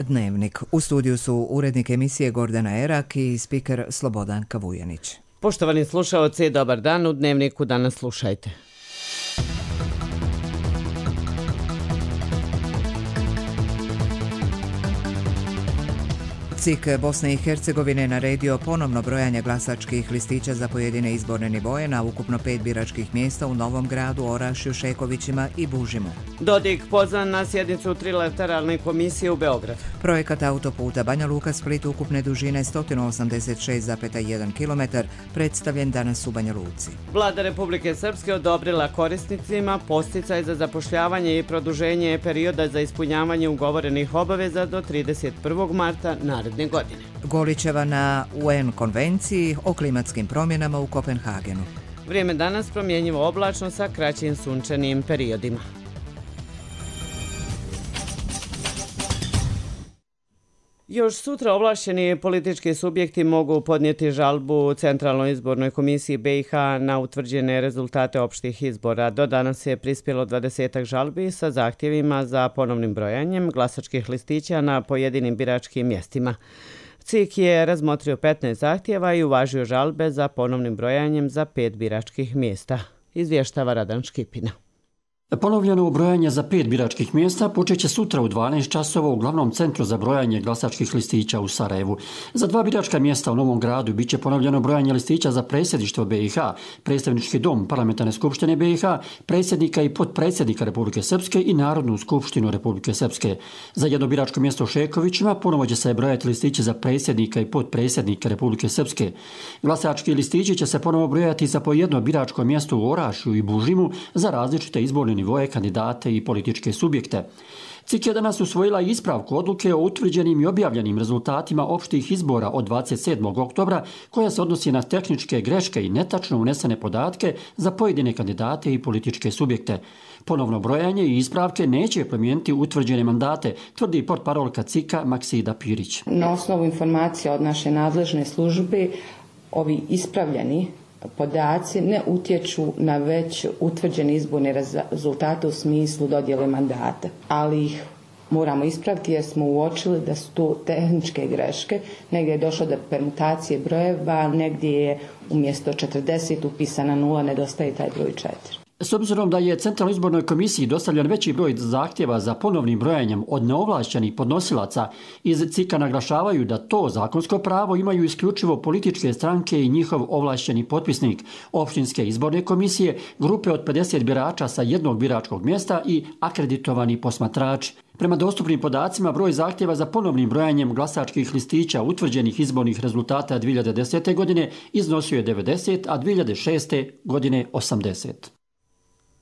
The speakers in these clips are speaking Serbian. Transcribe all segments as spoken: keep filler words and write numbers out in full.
Dnevnik. U studiju su urednik emisije Gordana Erak i spiker Slobodanka Vujanić. Poštovani slušaoci, dobar dan. U Dnevniku danas slušajte. C I K Bosne i Hercegovine naredio ponovno brojanje glasačkih listića za pojedine izborne nivoje na ukupno pet biračkih mjesta u Novom Gradu, Orašju, Šekovićima i Bužimu. Dodik pozvan na sjednicu trilateralne komisije u Beograd. Projekat autoputa Banja Luka-Split ukupne dužine sto osamdeset šest zarez jedan kilometar predstavljen danas u Banja Luci. Vlada Republike Srpske odobrila korisnicima podsticaj za zapošljavanje i produženje perioda za ispunjavanje ugovorenih obaveza do trideset prvog marta naredne godine. Golićeva na U N konvenciji o klimatskim promjenama u Kopenhagenu. Vrijeme danas promjenjivo oblačno sa kraćim sunčanim periodima. Još sutra ovlašćeni politički subjekti mogu podnijeti žalbu Centralnoj izbornoj komisiji B i H na utvrđene rezultate opštih izbora. Do danas je prispjelo dvadesetak žalbi sa zahtjevima za ponovnim brojanjem glasačkih listića na pojedinim biračkim mjestima. C I K je razmotrio petnaest zahtjeva i uvažio žalbe za ponovnim brojanjem za pet biračkih mjesta, izvještava Radan Škipina. Ponovljeno brojanje za pet biračkih mjesta počeće sutra u dvanaest časova u glavnom centru za brojanje glasačkih listića u Sarajevu. Za dva biračka mjesta u Novom Gradu biće ponovljeno brojanje listića za predsjedništvo B i H, predstavnički dom Parlamentarne skupštine B i H, predsjednika i potpredsjednika Republike Srpske i Narodnu skupštinu Republike Srpske. Za jedno biračko mjesto u Šekovićima ponovo će se brojati listići za predsjednika i potpredsjednika Republike Srpske. Glasački listići će se ponovo brojati za po jedno biračko mjesto u Orašju i Bužimu za različite izborne nivoje, kandidate i političke subjekte. C I K je danas usvojila ispravku odluke o utvrđenim i objavljenim rezultatima opštih izbora od dvadeset sedmog oktobra koja se odnosi na tehničke greške i netačno unesene podatke za pojedine kandidate i političke subjekte. Ponovno brojanje i ispravke neće promijeniti utvrđene mandate, tvrdi portparolka C I K-a Maksida Pirić. Na osnovu informacija od naše nadležne službe, ovi ispravljeni podaci ne utječu na već utvrđene izborne rezultate u smislu dodjele mandata, ali ih moramo ispraviti jer smo uočili da su to tehničke greške. Negdje je došlo do permutacije brojeva, negdje je umjesto četrdeset upisana nula, nedostaje taj broj četiri. S obzirom da je Centralnoj izbornoj komisiji dostavljen veći broj zahtjeva za ponovnim brojanjem od neovlašćenih podnosilaca, iz C I K-a naglašavaju da to zakonsko pravo imaju isključivo političke stranke i njihov ovlašćeni potpisnik, opštinske izborne komisije, grupe od pedeset birača sa jednog biračkog mjesta i akreditovani posmatrači. Prema dostupnim podacima, broj zahtjeva za ponovnim brojanjem glasačkih listića utvrđenih izbornih rezultata dvije hiljade desete. godine iznosio je devedeset, a dvije hiljade šeste. godine osamdeset.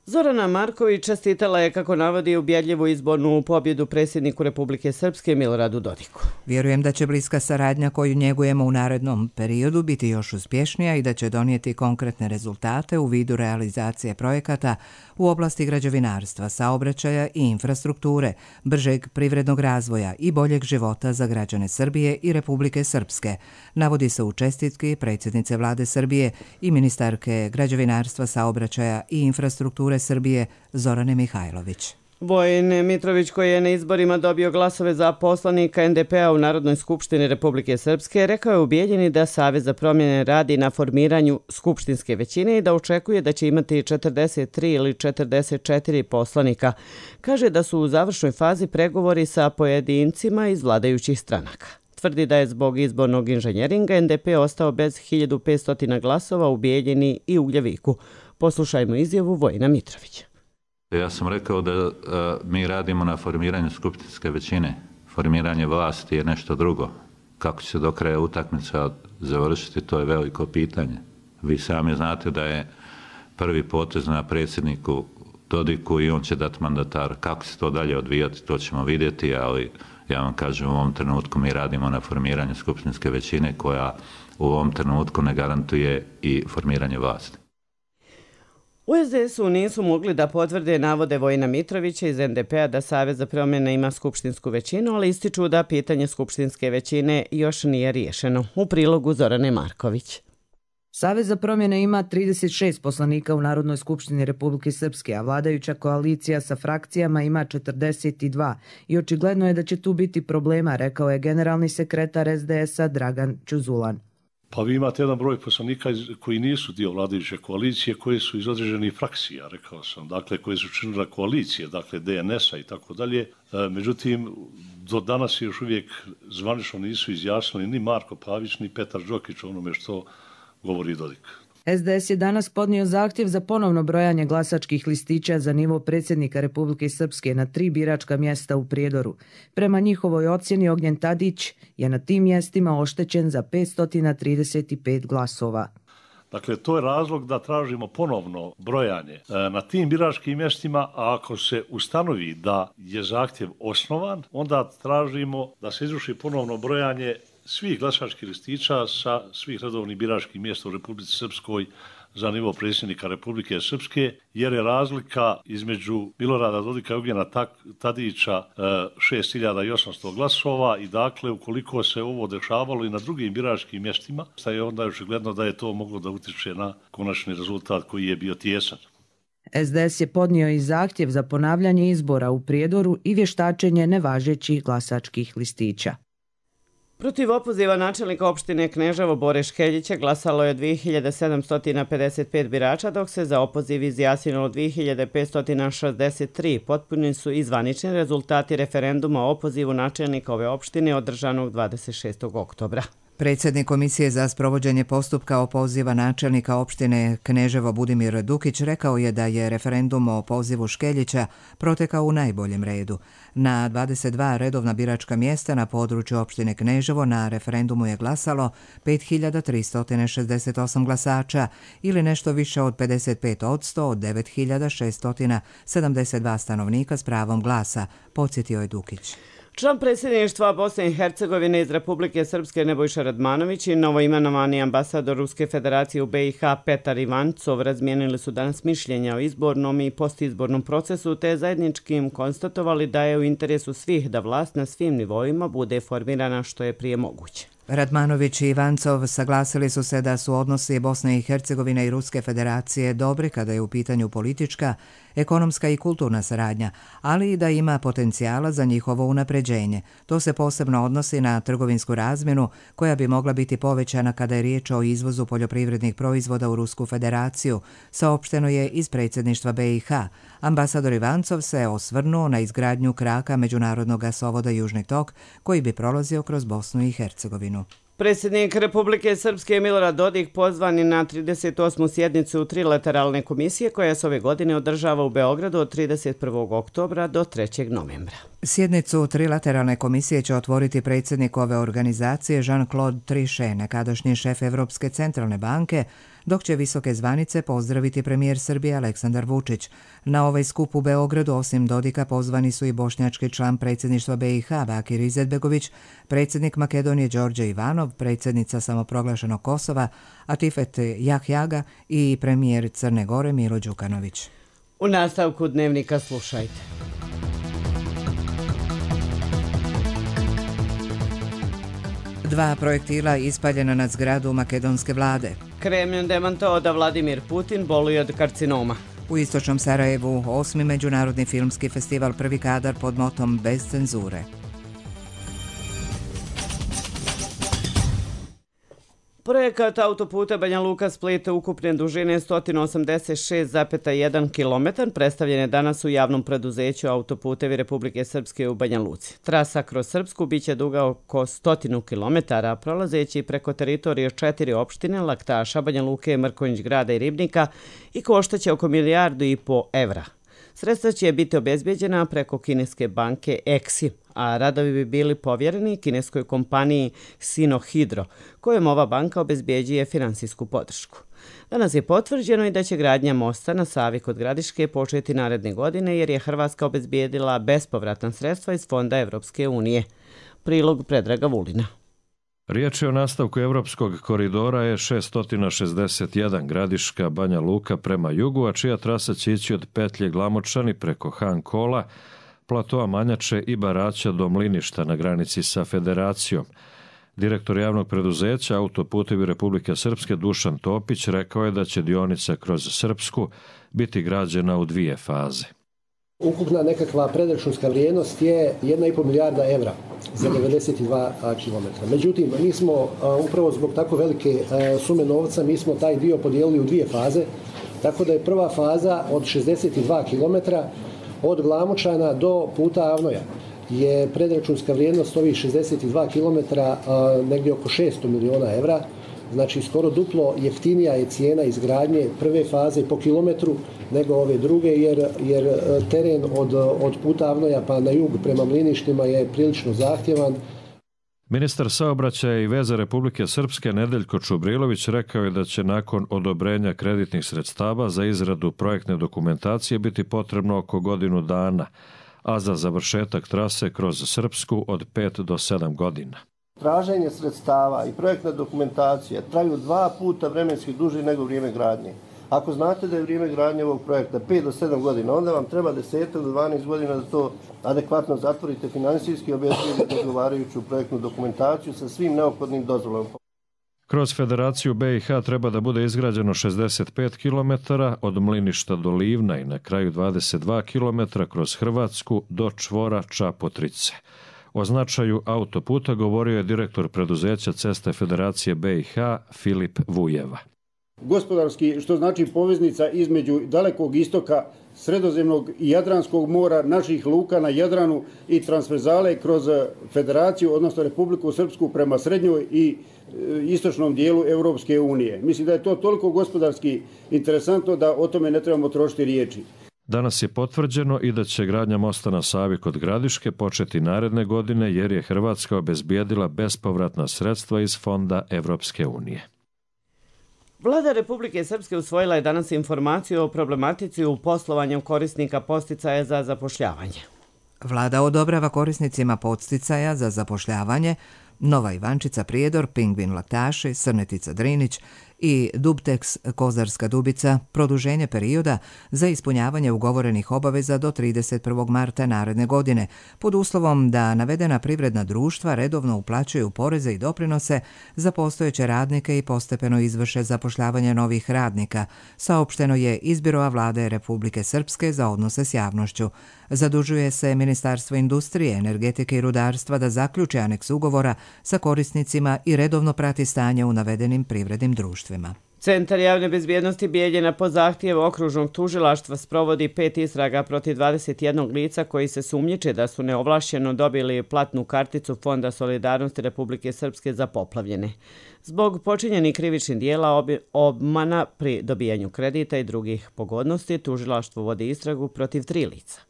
Zorana Marković čestitala je, kako navodi, ubjedljivu izbornu pobjedu predsjedniku Republike Srpske Miloradu Dodiku. Vjerujem da će bliska saradnja koju njegujemo u narednom periodu biti još uspješnija i da će donijeti konkretne rezultate u vidu realizacije projekata u oblasti građevinarstva, saobraćaja i infrastrukture, bržeg privrednog razvoja i boljeg života za građane Srbije i Republike Srpske, navodi se u čestitki predsjednice Vlade Srbije i ministarke građevinarstva, saobraćaja i infrastrukture Srbije Zorane Mihajlović. Vojin Mitrović, koji je na izborima dobio glasove za poslanika N D P-a u Narodnoj skupštini Republike Srpske, rekao je ubijeđeni da Savez za promjene radi na formiranju skupštinske većine i da očekuje da će imati četrdeset tri ili četrdeset četiri poslanika. Kaže da su u završnoj fazi pregovori sa pojedincima iz vladajućih stranaka. Tvrdi da je zbog izbornog inženjeringa N D P ostao bez hiljadu petsto glasova u Bijeljini i Ugljeviku. Poslušajmo izjavu Vojina Mitrovića. Ja sam rekao da a, mi radimo na formiranju skupštinske većine. Formiranje vlasti je nešto drugo. Kako će se do kraja utakmica završiti, to je veliko pitanje. Vi sami znate da je prvi potez na predsjedniku Dodiku i on će dati mandatar. Kako se to dalje odvijati, to ćemo vidjeti, ali ja vam kažem, u ovom trenutku mi radimo na formiranju skupštinske većine koja u ovom trenutku ne garantuje i formiranje vlasti. U S D S-u nisu mogli da potvrde navode Vojina Mitrovića iz N D P-a da Savez za promjene ima skupštinsku većinu, ali ističu da pitanje skupštinske većine još nije riješeno. U prilogu Zorane Marković. Savez za promjene ima trideset šest poslanika u Narodnoj skupštini Republike Srpske, a vladajuća koalicija sa frakcijama ima četrdeset dva i očigledno je da će tu biti problema, rekao je generalni sekretar es de es a Dragan Ćuzulan. Pa vi imate jedan broj poslanika koji nisu dio vladajuće koalicije, koji su iz određenih frakcija, rekao sam, dakle, koji su činila koalicije, dakle, de en es a i tako dalje. Međutim, do danas još uvijek zvanično nisu izjasnili ni Marko Pavić, ni Petar Đokić onome što govori Dodik. es de es je danas podnio zahtjev za ponovno brojanje glasačkih listića za nivo predsjednika Republike Srpske na tri biračka mjesta u Prijedoru. Prema njihovoj ocjeni Ognjen Tadić je na tim mjestima oštećen za petsto trideset pet glasova. Dakle, to je razlog da tražimo ponovno brojanje na tim biračkim mjestima, a ako se ustanovi da je zahtjev osnovan, onda tražimo da se izvrši ponovno brojanje svih glasačkih listića sa svih redovnih biračkih mjesta u Republici Srpskoj za nivo predsjednika Republike Srpske, jer je razlika između Milorada Dodika i Ognjena Tadića šest hiljada osamsto glasova i dakle, ukoliko se ovo dešavalo i na drugim biračkim mjestima, onda je očigledno da je to moglo da utiče na konačni rezultat koji je bio tijesan. es de es je podnio i zahtjev za ponavljanje izbora u Prijedoru i vještačenje nevažećih glasačkih listića. Protiv opoziva načelnika opštine Kneževo Bore Škeljića glasalo je dvije hiljade sedamsto pedeset pet birača, dok se za opoziv izjasnilo dvije hiljade petsto šezdeset tri. Potpuni su i zvanični rezultati referenduma o opozivu načelnika ove opštine održanog dvadeset šestog oktobra. Predsjednik Komisije za sprovođenje postupka opoziva načelnika opštine Kneževo Budimir Dukić rekao je da je referendum o opozivu Škeljića protekao u najboljem redu. Na dvadeset dva redovna biračka mjesta na području opštine Kneževo na referendumu je glasalo pet hiljada tristo šezdeset osam glasača ili nešto više od pedeset pet posto od devet hiljada šesto sedamdeset dva stanovnika s pravom glasa, podsjetio je Dukić. Član predsjedništva Bosne i Hercegovine iz Republike Srpske Nebojša Radmanović i novoimenovani ambasador Ruske federacije u be i ha Petar Ivancov razmijenili su danas mišljenja o izbornom i postizbornom procesu te zajedničkim konstatovali da je u interesu svih da vlast na svim nivoima bude formirana što je prije moguće. Radmanović i Ivancov saglasili su se da su odnosi Bosne i Hercegovine i Ruske federacije dobri kada je u pitanju politička, ekonomska i kulturna saradnja, ali i da ima potencijala za njihovo unapređenje. To se posebno odnosi na trgovinsku razmjenu koja bi mogla biti povećana kada je riječ o izvozu poljoprivrednih proizvoda u Rusku federaciju, saopšteno je iz predsjedništva be i ha. Ambasador Ivancov se osvrnuo na izgradnju kraka međunarodnog gasovoda Južni tok koji bi prolazio kroz Bosnu i Hercegovinu. Predsjednik Republike Srpske Milorad Dodik pozvan je na trideset osmu sjednicu trilateralne komisije koja se ove godine održava u Beogradu od trideset prvog oktobra do trećeg novembra. Sjednicu trilateralne komisije će otvoriti predsjednik ove organizacije Jean-Claude Trichet, nekadašnji šef Evropske centralne banke, dok će visoke zvanice pozdraviti premijer Srbije Aleksandar Vučić. Na ovaj skup u Beogradu osim Dodika pozvani su i bošnjački član predsjedništva be i ha Bakir Izetbegović, predsjednik Makedonije Đorđe Ivanov, predsjednica samoproglašenog Kosova Atifet Jahjaga i premijer Crne Gore Milo Đukanović. U nastavku dnevnika slušajte. Dva projektila ispaljena nad zgradu makedonske vlade. Kremlin demantovao da Vladimir Putin boluje od karcinoma. U istočnom Sarajevu osmi međunarodni filmski festival Prvi kadar pod motom Bez cenzure. Projekat autoputa Banja Luka-Split ukupne dužine sto osamdeset šest zarez jedan kilometar predstavljen je danas u javnom preduzeću Autoputevi Republike Srpske u Banja Luci. Trasa kroz Srpsku biće duga oko stotinu kilometara, prolazeći preko teritorije četiri opštine Laktaša, Banja Luke, Mrkonjić grada i Ribnika i koštaće oko milijardu i po evra. Sredstva će biti obezbijeđena preko kineske banke Exim, a radovi bi bili povjereni kineskoj kompaniji Sinohydro, kojem ova banka obezbijeđuje finansijsku podršku. Danas je potvrđeno i da će gradnja mosta na Savi kod Gradiške početi naredne godine jer je Hrvatska obezbijedila bespovratna sredstva iz Fonda Evropske unije. Prilog Predraga Vulina. Riječ je o nastavku evropskog koridora E šesto šezdeset jedan Gradiška Banja Luka prema jugu, a čija trasa će ići od petlje Glamočani preko Han Kola, platoa Manjače i Baraća do Mliništa na granici sa Federacijom. Direktor javnog preduzeća Autoputevi Republike Srpske Dušan Topić rekao je da će dionica kroz Srpsku biti građena u dvije faze. Ukupna nekakva predračunska vrijednost je jedna i pol milijarda evra za devedeset dva kilometra. Međutim, mi smo upravo zbog tako velike sume novca, mi smo taj dio podijelili u dvije faze, tako da je prva faza od šezdeset dva kilometra od Glamočana do puta Avnoja je predračunska vrijednost ovih šezdeset dva kilometra negdje oko šesto miliona evra. Znači skoro duplo jeftinija je cijena izgradnje prve faze po kilometru nego ove druge, jer, jer teren od, od puta Avnoja pa na jug prema Mliništima je prilično zahtjevan. Ministar saobraćaja i veza Republike Srpske Nedeljko Čubrilović rekao je da će nakon odobrenja kreditnih sredstava za izradu projektne dokumentacije biti potrebno oko godinu dana, a za završetak trase kroz Srpsku od pet do sedam godina. Traženje sredstava i projektna dokumentacija traju dva puta vremenski duže nego vrijeme gradnje. Ako znate da je vrijeme gradnje ovog projekta pet do sedam godina, onda vam treba deset do dvanaest godina da to adekvatno zatvorite finansijski i obezbedite odgovarajuću projektnu dokumentaciju sa svim neophodnim dozvolama. Kroz Federaciju B i H treba da bude izgrađeno šezdeset pet kilometara od Mliništa do Livna i na kraju dvadeset dva kilometra kroz Hrvatsku do čvora Čapotrice. O značaju autoputa govorio je direktor preduzeća Ceste Federacije B i H Filip Vujeva. Gospodarski, što znači poveznica između dalekog istoka, Sredozemnog i Jadranskog mora, naših luka na Jadranu i transverzale kroz Federaciju, odnosno Republiku Srpsku prema srednjoj i istočnom dijelu Europske unije. Mislim da je to toliko gospodarski interesantno da o tome ne trebamo trošiti riječi. Danas je potvrđeno i da će gradnja mosta na Savi kod Gradiške početi naredne godine jer je Hrvatska obezbijedila bespovratna sredstva iz fonda Evropske unije. Vlada Republike Srpske usvojila je danas informaciju o problematici u poslovanju korisnika podsticaja za zapošljavanje. Vlada odobrava korisnicima podsticaja za zapošljavanje Nova Ivančica Prijedor, Pingvin Laktaši, Srnetica Drinić i Dubteks Kozarska Dubica produženje perioda za ispunjavanje ugovorenih obaveza do trideset prvog marta naredne godine, pod uslovom da navedena privredna društva redovno uplaćuju poreze i doprinose za postojeće radnike i postepeno izvrše zapošljavanje novih radnika, saopšteno je iz Biroa Vlade Republike Srpske za odnose s javnošću. Zadužuje se Ministarstvo industrije, energetike i rudarstva da zaključi aneks ugovora sa korisnicima i redovno prati stanje u navedenim privrednim društvima. Centar javne bezbjednosti Bijeljina po zahtjevu okružnog tužilaštva sprovodi pet istraga protiv dvadeset jednog lica koji se sumnjiče da su neovlašćeno dobili platnu karticu Fonda solidarnosti Republike Srpske za poplavljene. Zbog počinjenih krivičnih dijela obmana pri dobijanju kredita i drugih pogodnosti, tužilaštvo vodi istragu protiv tri lica.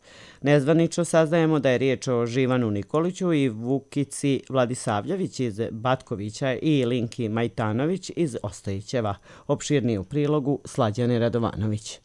Nezvanično saznajemo da je riječ o Živanu Nikoliću i Vukici Vladisavljević iz Batkovića i Linki Majtanović iz Ostojićeva. Opširniji u prilogu Slađane Radovanović.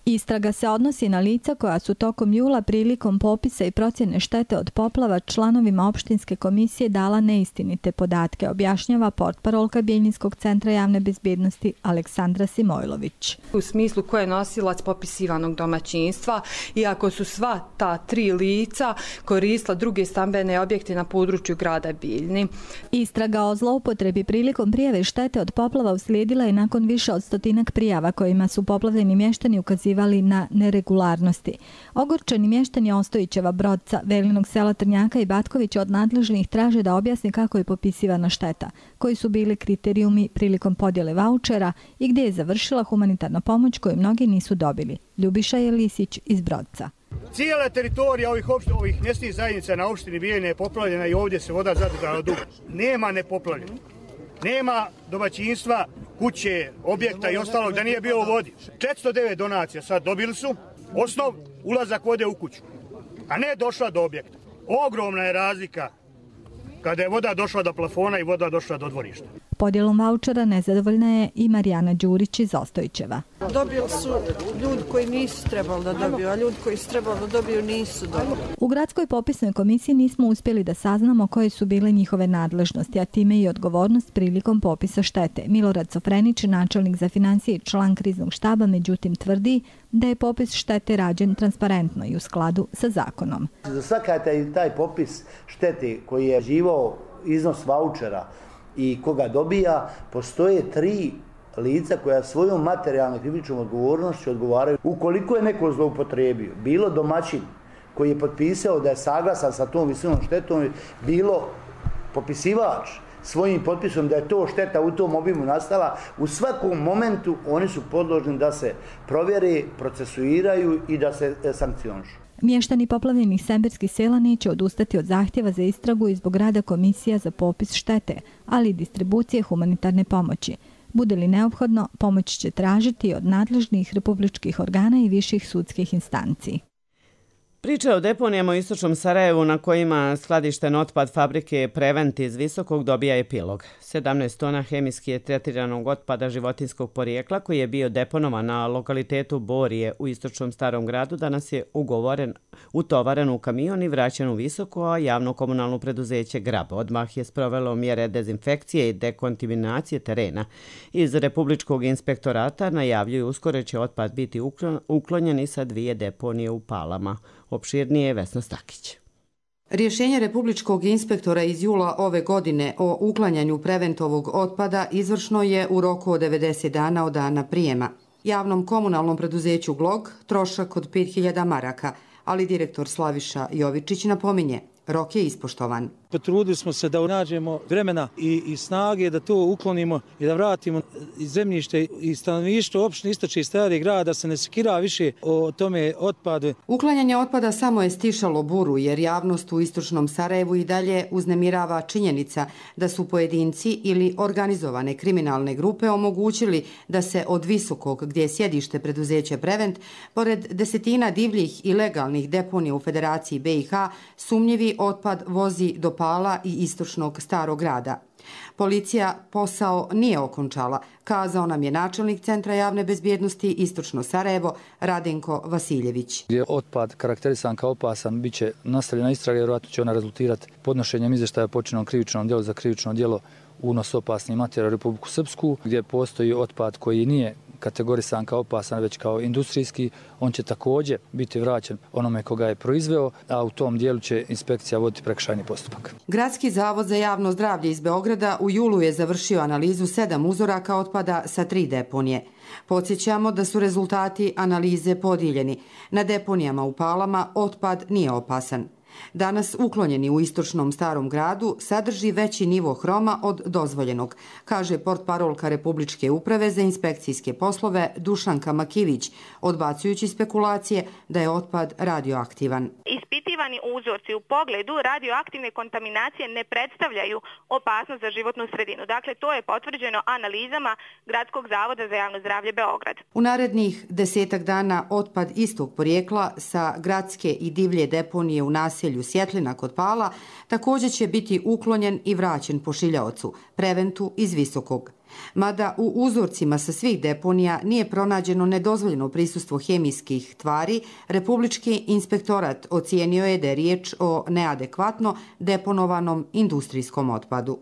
Istraga se odnosi na lica koja su tokom jula prilikom popisa i procjene štete od poplava članovima opštinske komisije dala neistinite podatke, objašnjava portparolka Bijeljinskog centra javne bezbjednosti Aleksandra Simojlović. U smislu ko je nosilac popisivanog domaćinstva, iako su sva ta tri lica koristila druge stambene objekte na području grada Bijeljni. Istraga o zloupotrebi prilikom prijave štete od poplava uslijedila je nakon više od stotinak prijava kojima su poplavljeni mještani ukazivali na neregularnosti. Ogorčeni mještani Ostojićeva, Brodca, Velinog sela Trnjaka i Batkovića od nadležnih traže da objasni kako je popisivana šteta, koji su bili kriterijumi prilikom podjele vaučera i gdje je završila humanitarna pomoć koju mnogi nisu dobili. Ljubiša Jelisić iz Brodca. Cijela teritorija ovih, ovih mjesnih zajednica na opštini Bijeljina je poplavljena i ovdje se voda zadržala dugo. Nema nepoplavljena. Nema domaćinstva, kuće, objekta i ostalog da nije bio u vodi. četiristo devet donacija sad dobili su, osnov ulazak vode u kuću, a ne došla do objekta. Ogromna je razlika kada je voda došla do plafona i voda došla do dvorišta. Podjelom vaučera nezadovoljna je i Marijana Đurić iz Ostojićeva. Dobili su ljudi koji nisu trebali da dobiju, a ljudi koji su trebali da dobiju nisu dobili. U gradskoj popisnoj komisiji nismo uspjeli da saznamo koje su bile njihove nadležnosti, a time i odgovornost prilikom popisa štete. Milorad Sofrenić, načelnik za financije i član kriznog štaba, međutim tvrdi da je popis štete rađen transparentno i u skladu sa zakonom. Za svaka taj popis štete koji je živao iznos vaučera i koga dobija, postoje tri lica koja svojom materijalnom krivičnom odgovornošću odgovaraju. Ukoliko je neko zloupotrebio, bilo domaćin koji je potpisao da je saglasan sa tom visinom štetom, bilo popisivač svojim potpisom da je to šteta u tom obimu nastala, u svakom momentu oni su podložni da se provjere, procesuiraju i da se sankcionišu. Mještani poplavljenih semberskih sela neće odustati od zahtjeva za istragu i zbog rada komisija za popis štete, ali i distribucije humanitarne pomoći. Bude li neophodno, pomoć će tražiti od nadležnih republičkih organa i viših sudskih instanci. Priča o deponijama u istočnom Sarajevu na kojima skladišten otpad fabrike Prevent iz Visokog dobija epilog. sedamnaest tona hemijski je tretiranog otpada životinskog porijekla koji je bio deponovan na lokalitetu Borije u istočnom Starom gradu danas je ugovoren, utovaren u kamion i vraćen u Visoko, a javno komunalno preduzeće Grab odmah je sprovelo mjere dezinfekcije i dekontaminacije terena. Iz Republičkog inspektorata najavljuju uskoro će otpad biti uklonjen i sa dvije deponije u Palama. Opširnije je Vesna Stakić. Rješenje Republičkog inspektora iz jula ove godine o uklanjanju Preventovog otpada izvršno je u roku od devedeset dana od dana prijema. Javnom komunalnom preduzeću Glog trošak od pet hiljada maraka, ali direktor Slaviša Jovičić napominje, rok je ispoštovan. Potrudili smo se da nađemo vremena i, i snage da to uklonimo i da vratimo zemljište i stanovništvo opštine Istočni Stari grad, da se ne sekira više o tome otpadu. Uklanjanje otpada samo je stišalo buru jer javnost u Istočnom Sarajevu i dalje uznemirava činjenica da su pojedinci ili organizovane kriminalne grupe omogućili da se od Visokog, gdje je sjedište preduzeća Prevent, pored desetina divljih i legalnih deponija u Federaciji B i H, sumnjivi otpad vozi do Pala i istočnog Starog grada. Policija posao nije okončala, kazao nam je načelnik Centra javne bezbjednosti Istočno Sarajevo Radenko Vasiljević. Gdje je otpad karakterisan kao opasan, bit će nastavljena istraga, vjerojatno će ona rezultirati podnošenjem izvještaja počinjenom krivičnom djelu za krivično djelo unos opasnih materijala u Republiku Srpsku, gdje postoji otpad koji nije kategorisan kao opasan, već kao industrijski, on će također biti vraćen onome koga je proizveo, a u tom dijelu će inspekcija voditi prekršajni postupak. Gradski zavod za javno zdravlje iz Beograda u julu je završio analizu sedam uzoraka otpada sa tri deponije. Podsjećamo da su rezultati analize podijeljeni. Na deponijama u Palama otpad nije opasan. Danas uklonjeni u istočnom Starom gradu sadrži veći nivo hroma od dozvoljenog, kaže portparolka Republičke uprave za inspekcijske poslove Dušanka Makivić, odbacujući spekulacije da je otpad radioaktivan. Ispitivani uzorci u pogledu radioaktivne kontaminacije ne predstavljaju opasnost za životnu sredinu. Dakle, to je potvrđeno analizama Gradskog zavoda za javno zdravlje Beograd. U narednih desetak dana otpad istog porijekla sa gradske i divlje deponije u naselju Svjetlina kod Pala također će biti uklonjen i vraćen pošiljaocu, Preventu iz Visokog. Mada u uzorcima sa svih deponija nije pronađeno nedozvoljeno prisustvo hemijskih tvari, Republički inspektorat ocijenio je da je riječ o neadekvatno deponovanom industrijskom otpadu.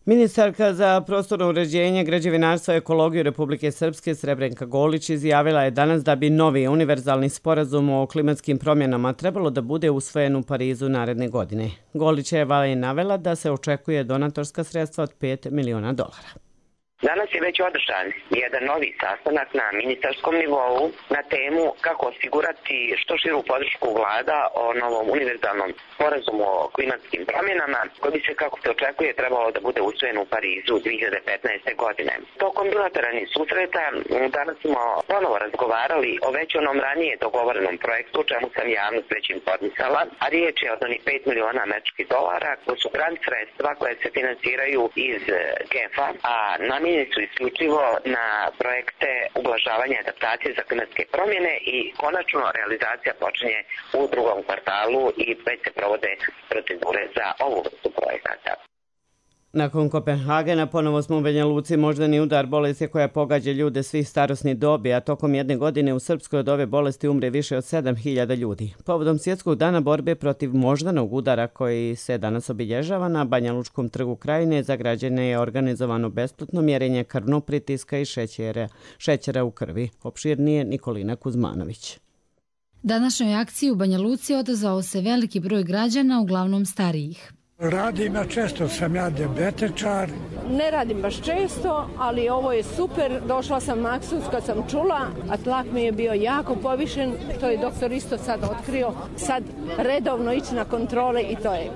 Ministarka za prostorno uređenje, građevinarstvo i ekologiju Republike Srpske Srebrenka Golić izjavila je danas da bi novi univerzalni sporazum o klimatskim promjenama trebalo da bude usvojen u Parizu naredne godine. Golićeva je navela da se očekuje donatorska sredstva od pet miliona dolara. Danas je već održan jedan novi sastanak na ministarskom nivou na temu kako osigurati što širu podršku vlada o novom univerzalnom sporazumu o klimatskim promjenama koji bi se, kako se očekuje, trebalo da bude usvojen u Parizu dvije hiljade petnaeste. godine. Tokom bilateralnih susreta danas smo ponovo razgovarali o već onom ranije dogovorenom projektu, čemu sam javnost već informisala, a riječ je od onih pet miliona američkih dolara, koji su grant sredstva koje se finansiraju iz G E F-a, a nami su isključivo na projekte ublažavanja adaptacije za klimatske promjene i konačno realizacija počinje u drugom kvartalu i već se provode procedure za ovu vrstu projekata. Nakon Kopenhagena ponovo smo u Banja Luci. Moždani udar bolesti koja pogađa ljude svih starosnih dobi, a tokom jedne godine u Srpskoj od ove bolesti umre više od sedam hiljada ljudi. Povodom Svjetskog dana borbe protiv moždanog udara koji se danas obilježava na Banja Lučkom trgu Krajine, za građane je organizovano besplatno mjerenje krvnog pritiska i šećera, šećera u krvi. Opširnije Nikolina Kuzmanović. Današnjoj akciji u Banja Luci odazvao se veliki broj građana, uglavnom starijih. Radim ja često, sam ja diabetičar. Ne radim baš često, ali ovo je super. Došla sam maksus kad sam čula, a tlak mi je bio jako povišen. To je doktor isto sad otkrio. Sad redovno ići na kontrole i to je.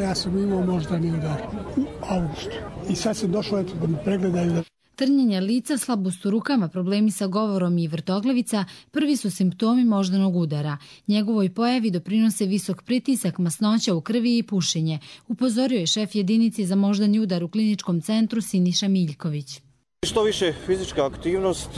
Ja sam imao moždani udar u avgustu. I sad sam došla eto da mi pregledaju da... Trnjenje lica, slabost u rukama, problemi sa govorom i vrtoglavica prvi su simptomi moždanog udara. Njegovoj pojavi doprinose visok pritisak, masnoća u krvi i pušenje, upozorio je šef jedinice za moždani udar u kliničkom centru Siniša Miljković. Što više fizička aktivnost,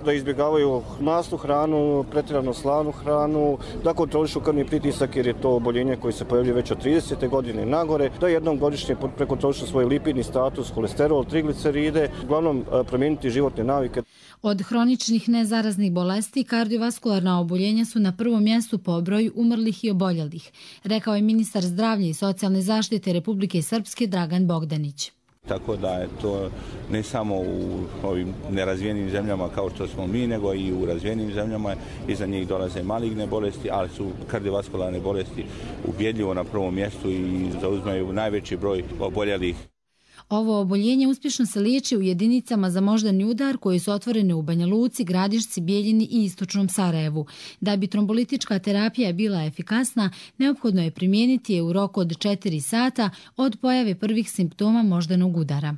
da izbjegavaju masnu hranu, pretjerano slanu hranu, da kontrolišu krvni pritisak jer je to oboljenje koje se pojavljuje već od tridesete godine nagore, da jednom godišnje prekontrolišu svoj lipidni status, kolesterol, trigliceride, uglavnom promijeniti životne navike. Od hroničnih nezaraznih bolesti, kardiovaskularna oboljenja su na prvom mjestu po broju umrlih i oboljelih, rekao je ministar zdravlja i socijalne zaštite Republike Srpske Dragan Bogdanić. Tako da je to ne samo u ovim nerazvijenim zemljama kao što smo mi, nego i u razvijenim zemljama. Iza njih dolaze maligne bolesti, ali su kardiovaskularne bolesti ubjedljivo na prvom mjestu i zauzimaju najveći broj oboljelih. Ovo oboljenje uspješno se liječi u jedinicama za moždani udar koje su otvorene u Banja Luci, Gradišci, Bijeljini i istočnom Sarajevu. Da bi trombolitička terapija bila efikasna, neophodno je primijeniti je u roku od četiri sata od pojave prvih simptoma moždanog udara.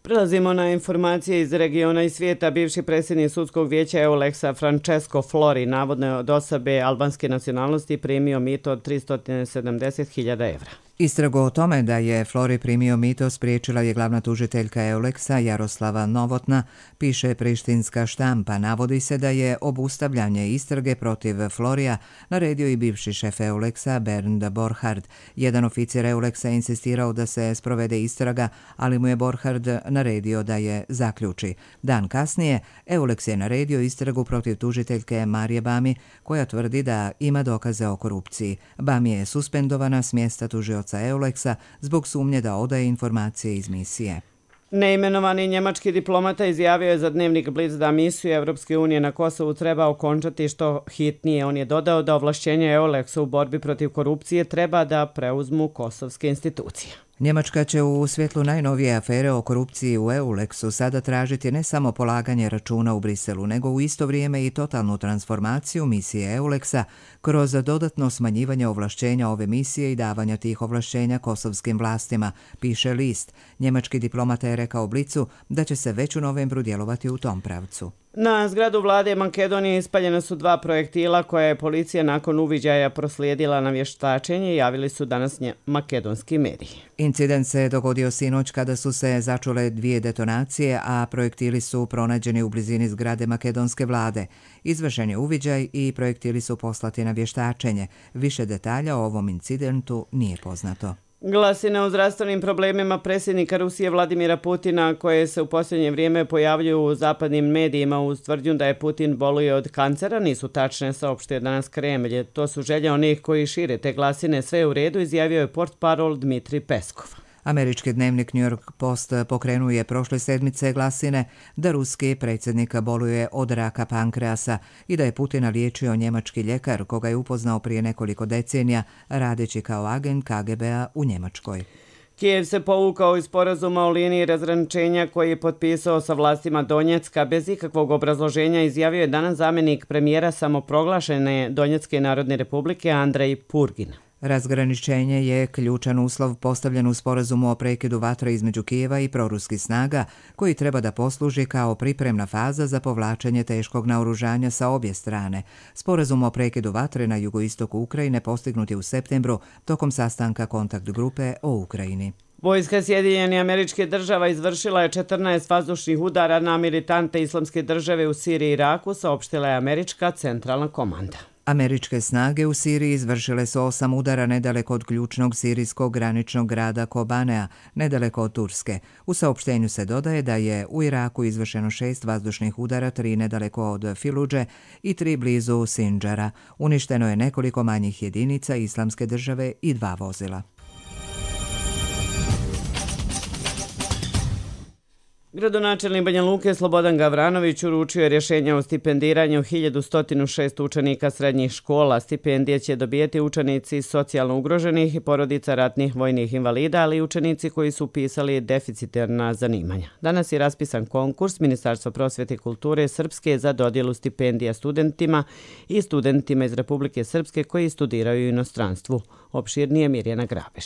Prelazimo na informacije iz regiona i svijeta. Bivši predsjednik sudskog vijeća Euleksa Francesco Flori navodno je od osobe albanske nacionalnosti primio mito od tristo sedamdeset hiljada evra. Istragu o tome da je Flori primio mito spriječila je glavna tužiteljka Euleksa Jaroslava Novotna, piše prištinska štampa. Navodi se da je obustavljanje istrage protiv Florija naredio i bivši šef Euleksa Bernd Borhard. Jedan oficir Euleksa insistirao da se sprovede istraga, ali mu je Borhard naredio da je zaključi. Dan kasnije Euleks je naredio istragu protiv tužiteljke Marije Bami, koja tvrdi da ima dokaze o korupciji. Bami je suspendovana s mjesta tužioca Euleksa zbog sumnje da odaje informacije iz misije. Neimenovani njemački diplomata izjavio je za dnevnik Blic da misiju Evropske unije na Kosovu treba okončati što hitnije. On je dodao da ovlašćenje Euleksa u borbi protiv korupcije treba da preuzmu kosovske institucije. Njemačka će u svjetlu najnovije afere o korupciji u Euleksu sada tražiti ne samo polaganje računa u Briselu, nego u isto vrijeme i totalnu transformaciju misije Euleksa kroz dodatno smanjivanje ovlašćenja ove misije i davanja tih ovlašćenja kosovskim vlastima, piše list. Njemački diplomata je rekao Blicu da će se već u novembru djelovati u tom pravcu. Na zgradu vlade Makedonije ispaljena su dva projektila koje je policija nakon uviđaja proslijedila na vještačenje, javili su danas makedonski mediji. Incident se dogodio sinoć kada su se začule dvije detonacije, a projektili su pronađeni u blizini zgrade makedonske vlade. Izvršen je uviđaj i projektili su poslati na vještačenje. Više detalja o ovom incidentu nije poznato. Glasine o zdravstvenim problemima predsjednika Rusije Vladimira Putina, koje se u posljednje vrijeme pojavljuju u zapadnim medijima uz tvrdnju da je Putin boluje od kancera, nisu tačne, saopštio danas Kremlj. To su želje onih koji šire te glasine. Sve u redu, izjavio je portparol Dmitrij Peskov. Američki dnevnik New York Post pokrenuo je prošle sedmice glasine da ruski predsjednik boluje od raka pankreasa i da je Putina liječio njemački ljekar koga je upoznao prije nekoliko decenija radeći kao agent K G B-a u Njemačkoj. Kijev se povukao iz sporazuma o liniji razgraničenja koji je potpisao sa vlastima Donjecka bez ikakvog obrazloženja, izjavio je danas zamjenik premijera samoproglašene Donjecke narodne republike Andrej Purgin. Razgraničenje je ključan uslov postavljen u sporazumu o prekidu vatre između Kijeva i proruskih snaga, koji treba da posluži kao pripremna faza za povlačenje teškog naoružanja sa obje strane. Sporazum o prekidu vatre na jugoistoku Ukrajine postignut je u septembru tokom sastanka kontakt grupe o Ukrajini. Vojska Sjedinjenih Američke Država izvršila je četrnaest vazdušnih udara na militante Islamske države u Siriji i Iraku, saopštila je Američka centralna komanda. Američke snage u Siriji izvršile su osam udara nedaleko od ključnog sirijskog graničnog grada Kobanea, nedaleko od Turske. U saopštenju se dodaje da je u Iraku izvršeno šest vazdušnih udara, tri nedaleko od Filudže i tri blizu Sinđara. Uništeno je nekoliko manjih jedinica Islamske države i dva vozila. Gradonačelnik Banja Luke Slobodan Gavranović uručio je rješenje o stipendiranju hiljadu sto šest učenika srednjih škola. Stipendije će dobijeti učenici socijalno ugroženih i porodica ratnih vojnih invalida, ali i učenici koji su upisali deficitarna zanimanja. Danas je raspisan konkurs Ministarstva prosvjete i kulture Srpske za dodjelu stipendija studentima i studentima iz Republike Srpske koji studiraju u inostranstvu. Opširnije Mirjana Grabeš.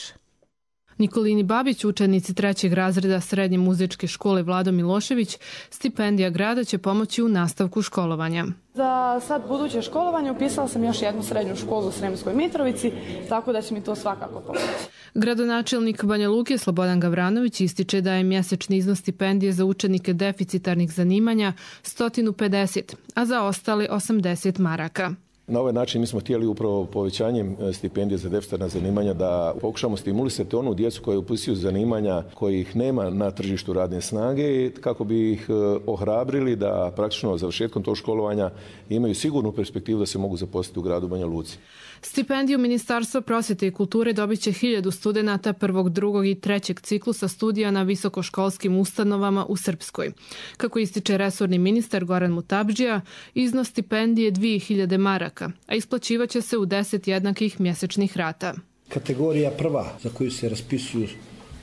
Nikolini Babić, učenici trećeg razreda Srednje muzičke škole Vlado Milošević, stipendija grada će pomoći u nastavku školovanja. Za sad buduće školovanje upisala sam još jednu srednju školu u Sremskoj Mitrovici, tako da će mi to svakako pomoći. Gradonačelnik Banja Luke Slobodan Gavranović ističe da je mjesečni iznos stipendije za učenike deficitarnih zanimanja sto pedeset, a za ostale osamdeset maraka. Na ovaj način mi smo htjeli upravo povećanjem stipendije za deficitarna zanimanja da pokušamo stimulisati onu djecu koja upisuju zanimanja kojih nema na tržištu radne snage kako bi ih ohrabrili da praktično završetkom tog školovanja imaju sigurnu perspektivu da se mogu zaposliti u gradu Banja Luci. Stipendiju Ministarstva prosvjete i kulture dobit će hiljadu studenata prvog, drugog i trećeg ciklusa studija na visokoškolskim ustanovama u Srpskoj. Kako ističe resorni ministar Goran Mutabdžija, iznos stipendije je dvije hiljade maraka, a isplaćivaće se u deset jednakih mjesečnih rata. Kategorija prva za koju se raspisuju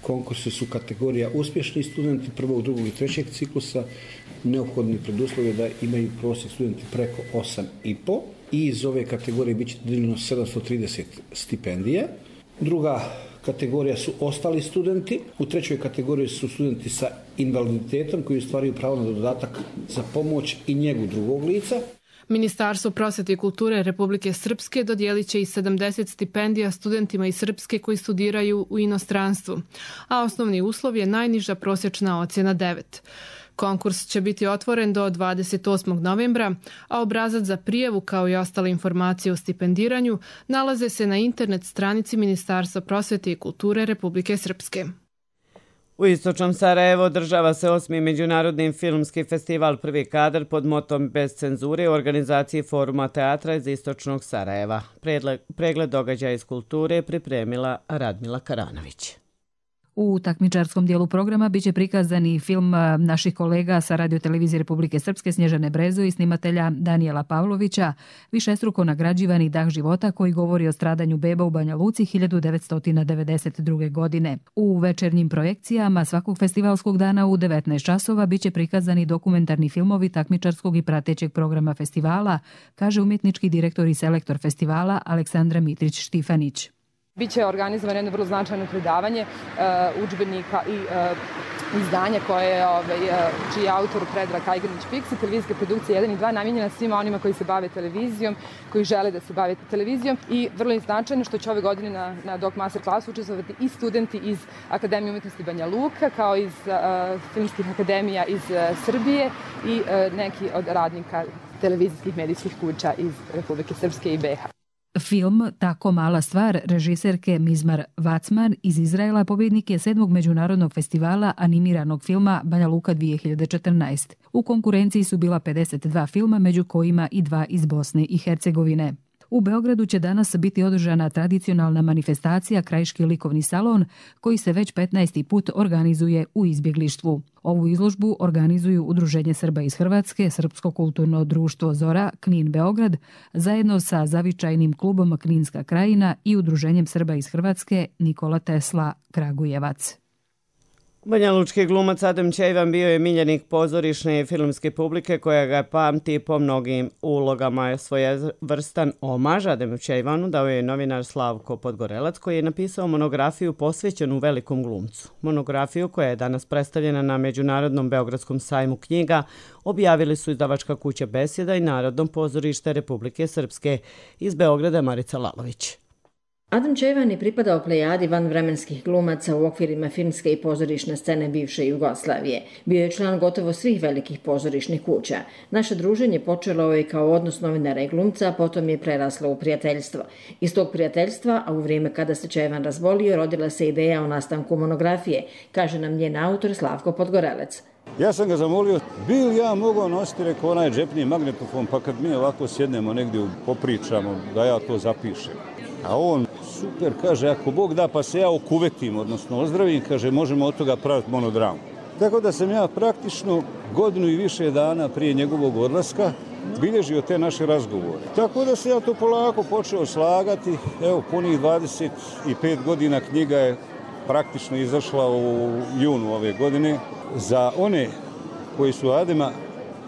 konkurse su kategorija uspješni studenti prvog, drugog i trećeg ciklusa. Neophodni preduslovi da imaju prosjek studenti preko osam i po. I iz ove kategorije bit će dodijeljeno sedamsto trideset stipendija. Druga kategorija su ostali studenti. U trećoj kategoriji su studenti sa invaliditetom koji ostvaruju pravo na dodatak za pomoć i njegu drugog lica. Ministarstvo prosvjete i kulture Republike Srpske dodijelit će i sedamdeset stipendija studentima iz Srpske koji studiraju u inostranstvu, a osnovni uslov je najniža prosječna ocjena devet. Konkurs će biti otvoren do dvadeset osmog novembra, a obrazac za prijavu kao i ostale informacije o stipendiranju nalaze se na internet stranici Ministarstva prosvjete i kulture Republike Srpske. U istočnom Sarajevu održava se osmi Međunarodni filmski festival Prvi kadar pod motom Bez cenzure u organizaciji Foruma teatra iz istočnog Sarajeva. Pregled događaja iz kulture pripremila Radmila Karanović. U takmičarskom dijelu programa biće prikazan i film naših kolega sa radiotelevizije Republike Srpske Snježane Brezo i snimatelja Danijela Pavlovića, višestruko nagrađivani Dah života koji govori o stradanju beba u Banja Luci hiljadu devetsto devedeset druge. godine. U večernjim projekcijama svakog festivalskog dana u devetnaest časova biće prikazani dokumentarni filmovi takmičarskog i pratećeg programa festivala, kaže umjetnički direktor i selektor festivala Aleksandra Mitrić-Štifanić. Biće organizovano jedno vrlo značajno predavanje uh, udžbenika i uh, izdanja koje je, ovaj, uh, čiji je autor Predrag Kajgranić-Piksi, televizijske produkcije jedan i dva namijenjena svima onima koji se bave televizijom, koji žele da se bave televizijom i vrlo je značajno što će ove godine na, na Doc Master klasu učestvovati i studenti iz Akademije umjetnosti Banja Luka, kao iz uh, filmskih akademija iz uh, Srbije i uh, neki od radnika televizijskih medijskih kuća iz Republike Srpske i be ha. Film Tako mala stvar režiserke Mizmar Vacman iz Izraela pobjednik je sedmog međunarodnog festivala animiranog filma Banja Luka dvije hiljade četrnaest. U konkurenciji su bila pedeset dva filma, među kojima i dva iz Bosne i Hercegovine. U Beogradu će danas biti održana tradicionalna manifestacija Krajiški likovni salon, koji se već petnaesti put organizuje u izbjeglištvu. Ovu izložbu organizuju Udruženje Srba iz Hrvatske, Srpsko kulturno društvo Zora, Knin Beograd, zajedno sa zavičajnim klubom Kninska krajina i Udruženjem Srba iz Hrvatske Nikola Tesla Kragujevac. Banjalučki glumac Adem Čejvan bio je miljenik pozorišne i filmske publike koja ga pamti po mnogim ulogama. Svojevrstan omaž Ademu Čejvanu dao je novinar Slavko Podgorelac koji je napisao monografiju posvećenu velikom glumcu. Monografiju koja je danas predstavljena na Međunarodnom Beogradskom sajmu knjiga objavili su izdavačka kuća Besjeda i Narodno pozorište Republike Srpske. Iz Beograda Marica Lalović. Adem Čejvan je pripadao plejadi vanvremenskih glumaca u okvirima filmske i pozorišne scene bivše Jugoslavije. Bio je član gotovo svih velikih pozorišnih kuća. Naše druženje počelo je kao odnos novinara i glumca, a potom je preraslo u prijateljstvo. Iz tog prijateljstva, a u vrijeme kada se Čejvan razbolio, rodila se ideja o nastanku monografije, kaže nam njen autor Slavko Podgorelec. Ja sam ga zamolio, bil ja mogao nositi, rekao, onaj džepni magnetofon, pa kad mi ovako sjednemo negdje popričamo, da ja to zapišem. A on, super, kaže, ako Bog da, pa se ja okuvetim, odnosno ozdravim, kaže, možemo od toga praviti monodramu. Tako da sam ja praktično godinu i više dana prije njegovog odlaska bilježio te naše razgovore. Tako da se ja to polako počeo slagati. Evo, punih dvadeset pet godina knjiga je praktično izašla u junu ove godine. Za one koji su Adema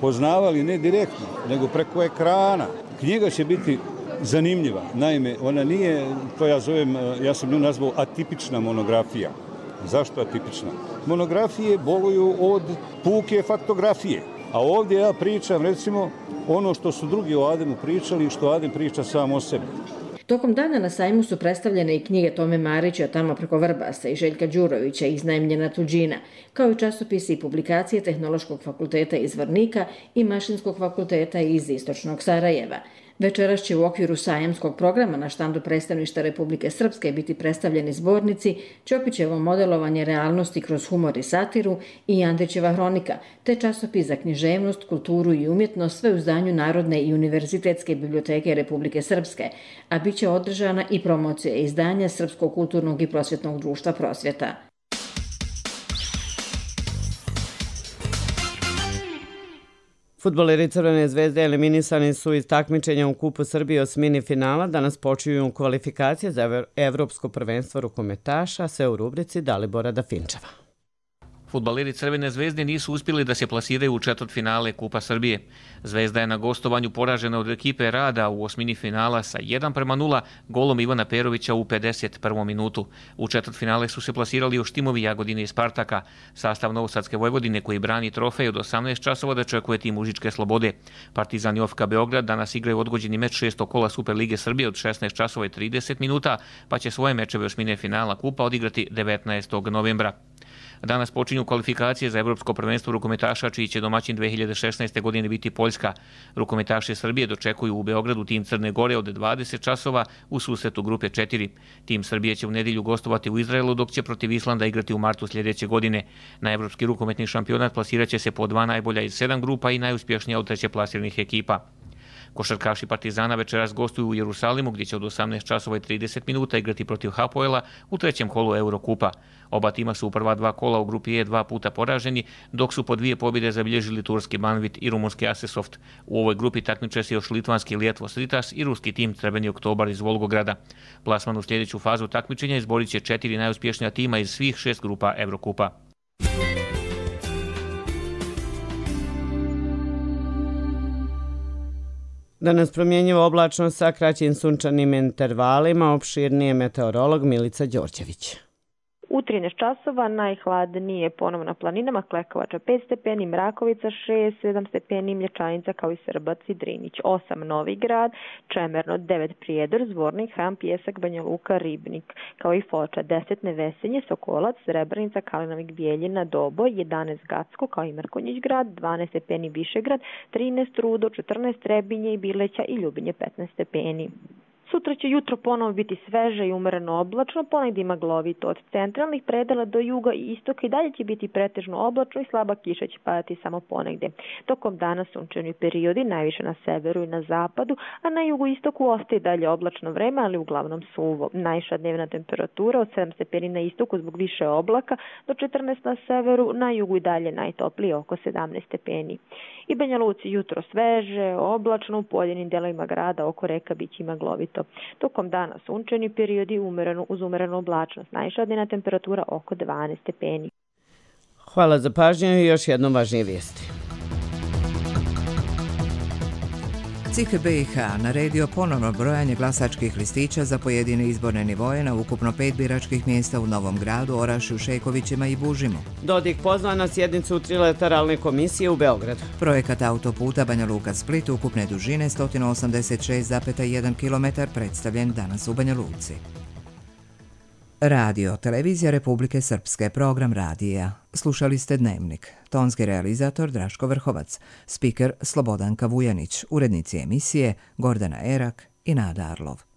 poznavali ne direktno, nego preko ekrana, knjiga će biti zanimljiva. Naime, ona nije, to ja zovem, ja sam nju nazvao atipična monografija. Zašto atipična? Monografije boluju od puke faktografije. A ovdje ja pričam, recimo, ono što su drugi o Ademu pričali i što Adem priča sam o sebi. Tokom dana na sajmu su predstavljene i knjige Tome Marića Tamo preko Vrbasa i Željka Đurovića Iznajmljena tuđina, kao i časopisi i publikacije Tehnološkog fakulteta iz Vrnika i Mašinskog fakulteta iz Istočnog Sarajeva. Večeras će u okviru sajamskog programa na štandu predstavništva Republike Srpske biti predstavljeni zbornici Ćopićevo modelovanje realnosti kroz humor i satiru i Andrićeva hronika, te časopis za književnost, kulturu i umjetnost, sve u zdanju Narodne i univerzitetske biblioteke Republike Srpske, a bit će održana i promocija izdanja Srpskog kulturnog i prosvjetnog društva Prosvjeta. Fudbaleri Crvene zvezde eliminisani su iz takmičenja u Kupu Srbije osmini finala. Danas počinju kvalifikacije za Evropsko prvenstvo rukometaša, sve u rubrici Dalibora Dafinčeva. Fudbaleri Crvene zvezde nisu uspjeli da se plasiraju u četvrtfinale Kupa Srbije. Zvezda je na gostovanju poražena od ekipe Rada u osmini finala sa jedan prema nula golom Ivana Perovića u pedeset prvom minutu. U četvrtfinale su se plasirali još timovi Jagodine i Spartaka. Sastav Novosadske Vojvodine koji brani trofej od osamnaest časova da očekuje tim Užičke Slobode. Partizan i O F K Beograd danas igraju odgođeni meč šestog kola Superlige Srbije od šesnaest časova i trideset minuta, pa će svoje mečeve osmine finala Kupa odigrati devetnaestog novembra. Danas počinju kvalifikacije za Evropsko prvenstvo rukometaša, čiji će domaćin dve hiljade šesnaeste. godine biti Poljska. Rukometaši Srbije dočekuju u Beogradu tim Crne Gore od dvadeset časova u susretu grupe četiri. Tim Srbije će u nedjelju gostovati u Izraelu, dok će protiv Islanda igrati u martu sljedeće godine. Na Evropski rukometni šampionat plasirat će se po dva najbolja iz sedam grupa i najuspješnija od treće plasiranih ekipa. Košarkaši Partizana večeras gostuju u Jerusalimu, gdje će od osamnaest časova i trideset minuta igrati protiv Hapoela u trećem kolu Eurokupa. Oba tima su u prva dva kola u grupi E dva puta poraženi, dok su po dvije pobjede zabilježili turski Banvit i rumunski Asesoft. U ovoj grupi takmiče se još litvanski Lietuvos Rytas i ruski tim Crveni oktobar iz Volgograda. Plasman u sljedeću fazu takmičenja izborit će četiri najuspješnija tima iz svih šest grupa Eurokupa. Danas promjenjivo oblačno sa kraćim sunčanim intervalima, opširnije meteorolog Milica Đorđević. U trinaest časova najhladnije ponovo na planinama, Klekovača pet stepeni, Mrakovica šest, sedam stepeni, Mlječanica kao i Srbac i Drinić osam, Novi Grad, Čemerno devet, Prijedor, Zvornik, Ham, Pjesak, Banja Luka, Ribnik kao i Foča deset, Nevesenje, Sokolac, Srebrenica, Kalinovik, Bijeljina, Doboj jedanaest, Gacko kao i Mrkonjić grad, dvanaest stepeni, Višegrad, trinaest, Rudo, četrnaest, Trebinje i Bileća i Ljubinje petnaest stepeni. Sutra će jutro ponovo biti sveže i umereno oblačno, ponegdje maglovito. Od centralnih predela do juga i istoka i dalje će biti pretežno oblačno i slaba kiša će padati samo ponegdje. Tokom dana sunčani periodi, najviše na severu i na zapadu, a na jugu i istoku ostaje dalje oblačno vreme, ali uglavnom suvo. Najviša dnevna temperatura od sedam stepeni na istoku zbog više oblaka, do četrnaest na severu, na jugu i dalje najtoplije oko sedamnaest stepeni. I Banja Luci jutro sveže, oblačno, u pojedinim delovima grada oko reka biće maglovito. Tokom dana sunčani periodi umereno, uz umerenu oblačnost. Najviša dnevna temperatura oko dvanaest stepeni. Hvala za pažnju i još jednom važnije vijesti. C I H B i H naredio ponovno brojanje glasačkih listića za pojedine izborne nivoje na ukupno pet biračkih mjesta u Novom Gradu, Orašju, Šejkovićima i Bužimu. Dodik pozvan na sjednicu trilateralne komisije u Beogradu. Projekat autoputa Banja Luka-Split ukupne dužine sto osamdeset šest zarez jedan kilometar predstavljen danas u Banja Luci. Radio, televizija Republike Srpske, program radija. Slušali ste Dnevnik. Tonski realizator Draško Vrhovac, spiker Slobodanka Vujanić, urednici emisije Gordana Erak i Nada Arlov.